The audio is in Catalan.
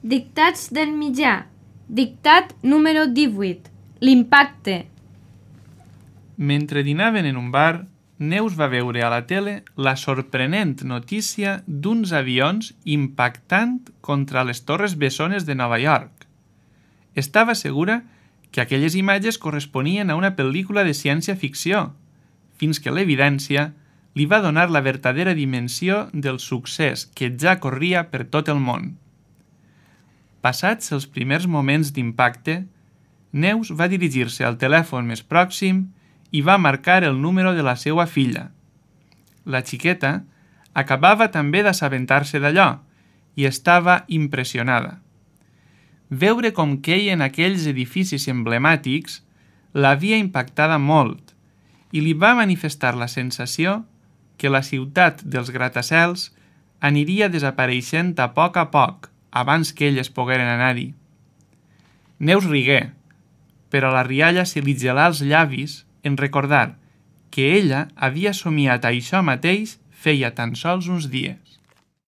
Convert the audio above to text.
Dictats del mitjà. Dictat número 18. L'impacte. Mentre dinaven en un bar, Neus va veure a la tele la sorprenent notícia d'uns avions impactant contra les Torres Bessones de Nova York. Estava segura que aquelles imatges corresponien a una pel·lícula de ciència-ficció, fins que l'evidència li va donar la verdadera dimensió del succés que ja corria per tot el món. Passats els primers moments d'impacte, Neus va dirigir-se al telèfon més pròxim i va marcar el número de la seva filla. La xiqueta acabava també d'assabentar-se d'allò i estava impressionada. Veure com queien aquells edificis emblemàtics l'havia impactada molt i li va manifestar la sensació que la ciutat dels gratacels aniria desapareixent a poc abans que elles pogueren anar-hi. Neus rigué, però la rialla se li gelà els llavis en recordar que ella havia somiat això mateix feia tan sols uns dies.